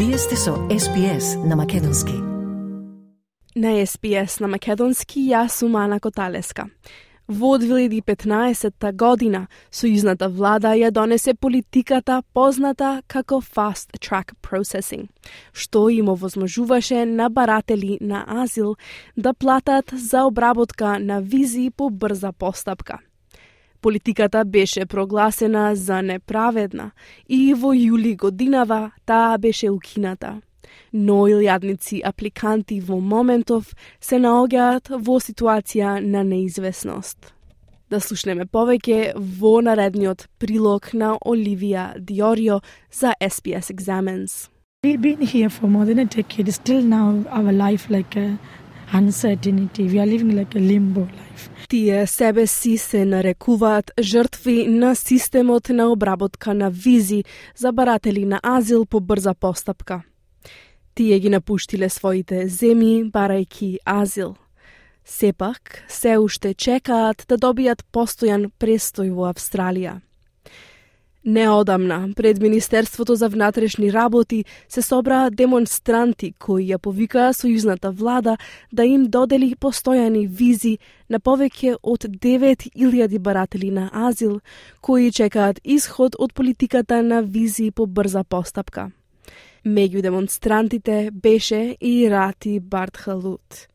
Вие сте со SPS на Македонски. На SPS на Македонски јас сум Ана Коталеска. Во 2015 година, сојузната влада ја донесе политиката позната како Fast Track Processing, што им овозможуваше на баратели на азил да платат за обработка на визи по брза постапка. Политиката беше прогласена за неправедна и во јули годинава таа беше укината. Но илјадници апликанти во моментов се наоѓаат во ситуација на неизвестност. Да слушнеме повеќе во наредниот прилог на Оливија Диорио за SPS Examines. We've been here for more than a decade. Still now our life like a uncertainty. We are living like a limbo life. Тие себе си се нарекуваат жртви на системот на обработка на визи за баратели на азил по брза постапка. Тие ги напуштиле своите земји барајки азил. Сепак, се уште чекаат да добијат постојан престој во Австралија. Неодамна, пред Министерството за внатрешни работи се собраа демонстранти кои ја повикаа сојузната влада да им додели постојани визи на повеќе од 9.000 баратели на азил кои чекаат исход од политиката на визи по брза постапка. Меѓу демонстрантите беше и Рати Бартхалут.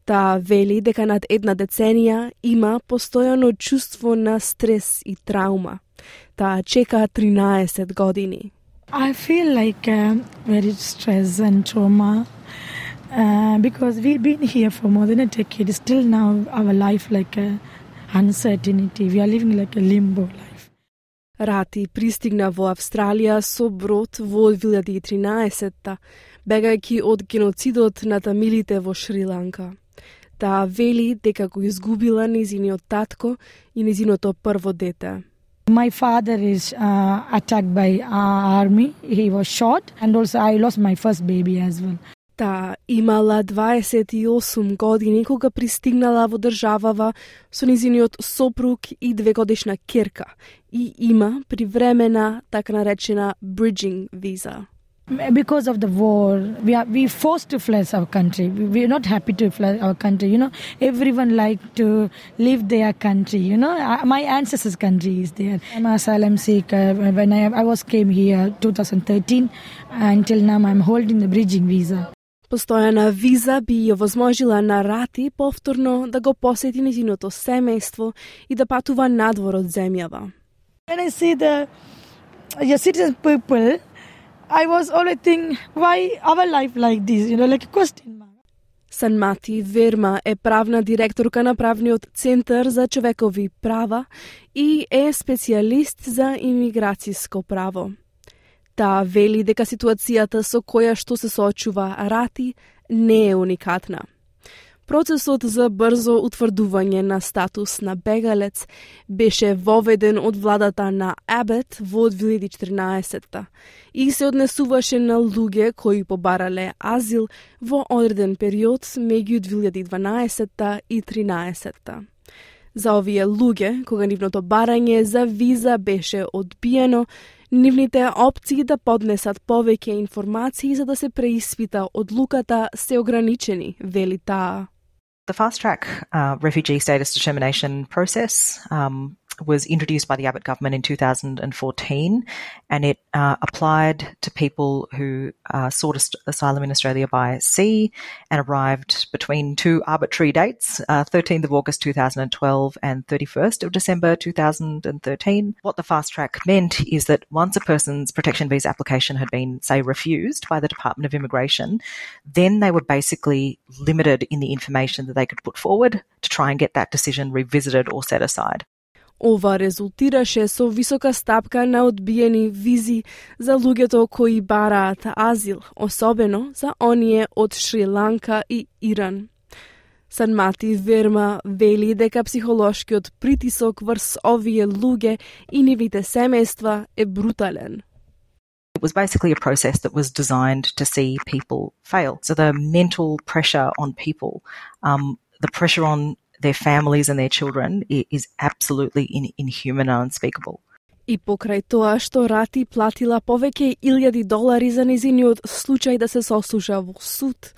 Таа вели дека над една деценија има постојано чувство на стрес и траума. Таа чека 13 години. I feel like very stress and trauma because we've been here for more than a decade. Still now our life like a uncertainty. We are living like a limbo life. Рати пристигна во Австралија со брод во 2013-та, бегајќи од геноцидот на тамилите во Шри-Ланка. Таа вели дека го изгубила незиниот татко и незиното прво дете. My father is attacked by army. He was shot and also I lost my first baby as well. Таа имала 28 години кога пристигнала во државава со незиниот сопруг и 2-годишна ќерка и има привремена така наречена bridging visa. Because of the war, we forced to flee our country. We are not happy to flee our country. You know, everyone like to leave their country. You know, my ancestors' country is there. I'm an asylum seeker. When I came here 2013, until now I'm holding the bridging visa. Постојана виза би ја возможила на Рати повторно да го посети незиното семејство и да патува надвор од земјава. When I see the citizen people, I was always thinking, why our life like this? You know, like a question mark. Санмати Верма е правна директорка на правниот центар за човекови права и е специјалист за имиграцијско право. Таа вели дека ситуацијата со која што се соочува Рати не е уникатна. Процесот за брзо утврдување на статус на бегалец беше воведен од владата на Абет во 2014 и се однесуваше на луѓе кои побарале азил во одреден период меѓу 2012 и 2013. За овие луѓе, кога нивното барање за виза беше одбиено, нивните опции да поднесат повеќе информации за да се преиспита одлуката се ограничени, вели таа. The fast-track refugee status determination process was introduced by the Abbott government in 2014, and it applied to people who sought asylum in Australia by sea and arrived between two arbitrary dates, 13th of August 2012 and 31st of December 2013. What the fast-track meant is that once a person's protection visa application had been, say, refused by the Department of Immigration, then they were basically limited in the information that they could put forward to try and get that decision revisited or set aside. Ова резултираше со висока стапка на одбиени визи за луѓето кои бараат азил, особено за оние од Шри-Ланка и Иран. Санмати Верма вели дека психолошкиот притисок врз овие луѓе и нивните семејства е брутален. It was basically a process that was designed to see people fail. So the mental pressure on people, the pressure on their families and their children is absolutely inhuman and unspeakable. И покрај тоа што Рати платила повеќе $1,000 за нејзиниот случај да се сослуша во суд,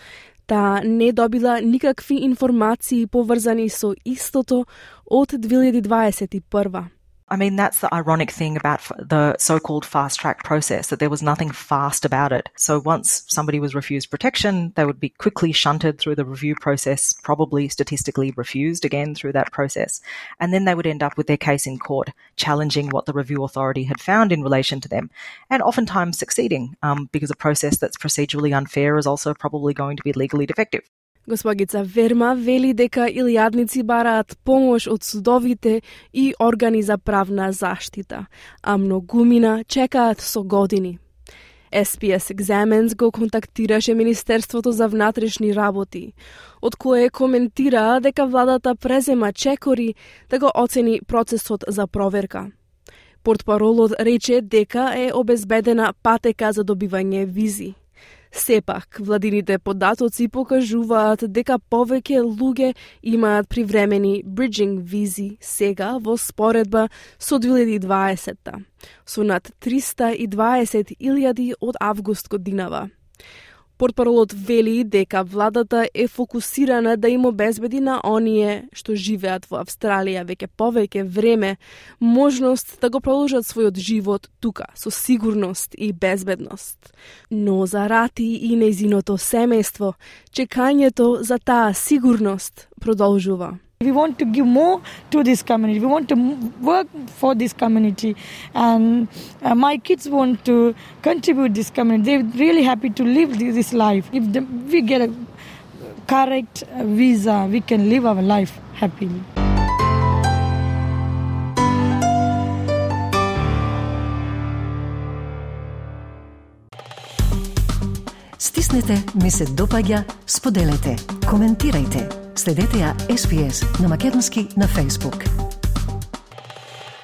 таа не добила никакви информации поврзани со истото од 2021. I mean, that's the ironic thing about the so-called fast-track process, that there was nothing fast about it. So once somebody was refused protection, they would be quickly shunted through the review process, probably statistically refused again through that process. And then they would end up with their case in court, challenging what the review authority had found in relation to them, and oftentimes succeeding, because a process that's procedurally unfair is also probably going to be legally defective. Госпогица Верма вели дека илјадници бараат помош од судовите и органи за правна заштита, а многумина чекаат со години. SPS Examines го контактираше Министерството за внатрешни работи, од кое коментираа дека владата презема чекори да го оцени процесот за проверка. Портпаролот рече дека е обезбедена патека за добивање визи. Сепак, владините податоци покажуваат дека повеќе луѓе имаат привремени bridging визи сега во споредба со 2020-та, со над 320,000 од август годинава. Портпаролот вели дека владата е фокусирана да им обезбеди на оние што живеат во Австралија веќе повеќе време можност да го продолжат својот живот тука со сигурност и безбедност. Но за Рати и нејзиното семејство, чекањето за таа сигурност продолжува. We want to give more to this community. We want to work for this community, and my kids want to contribute this community. They're really happy to live this life. If we get a correct visa, we can live our life happily. Стиснете, ми се допаѓа, споделете, коментирајте. Следете ја SPS на Македонски на Facebook.